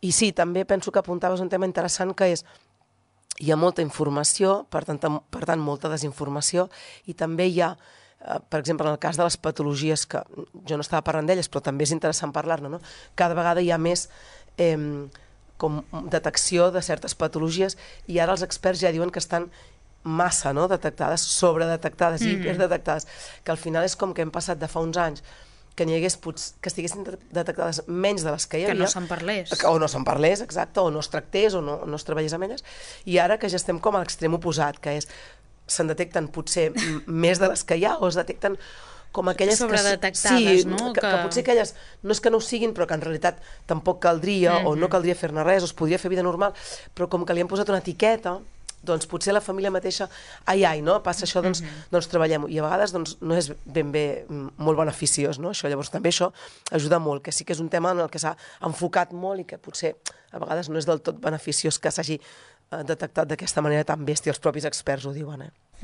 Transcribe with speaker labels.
Speaker 1: I sí, també penso que apuntaves un tema interessant que és hi ha molta informació, per tant molta desinformació, i també hi ha, per exemple, en el cas de les patologies, que jo no estava parlant d'elles, però també és interessant parlar-ne, no? Cada vegada hi ha més com detecció de certes patologies i ara els experts ja diuen que estan massa, no?, detectades, sobredetectades i hiperdetectades, que al final és com que hem passat de fa uns anys que n'hi hagués, que estiguessin detectades menys de les que hi havia.
Speaker 2: Que no se'n parlés.
Speaker 1: O no se'n parlés, exacte, o no es tractés, o no es treballés amb elles, i ara que ja estem com a l'extrem oposat, que és, se'n detecten potser més de les que hi ha, o es detecten com aquelles
Speaker 2: sobredetectades, no?
Speaker 1: Que potser aquelles no és que no ho siguin, però que en realitat tampoc caldria, o no caldria fer-ne res, o es podria fer vida normal, però com que li han posat una etiqueta, doncs potser la família mateixa, no? Passa això, doncs treballem-ho. I a vegades doncs, no és ben bé molt beneficiós, no? Això, llavors també això ajuda molt, que sí que és un tema en el que s'ha enfocat molt i que potser a vegades no és del tot beneficiós que s'hagi detectat d'aquesta manera tan bèstia, els propis experts ho diuen,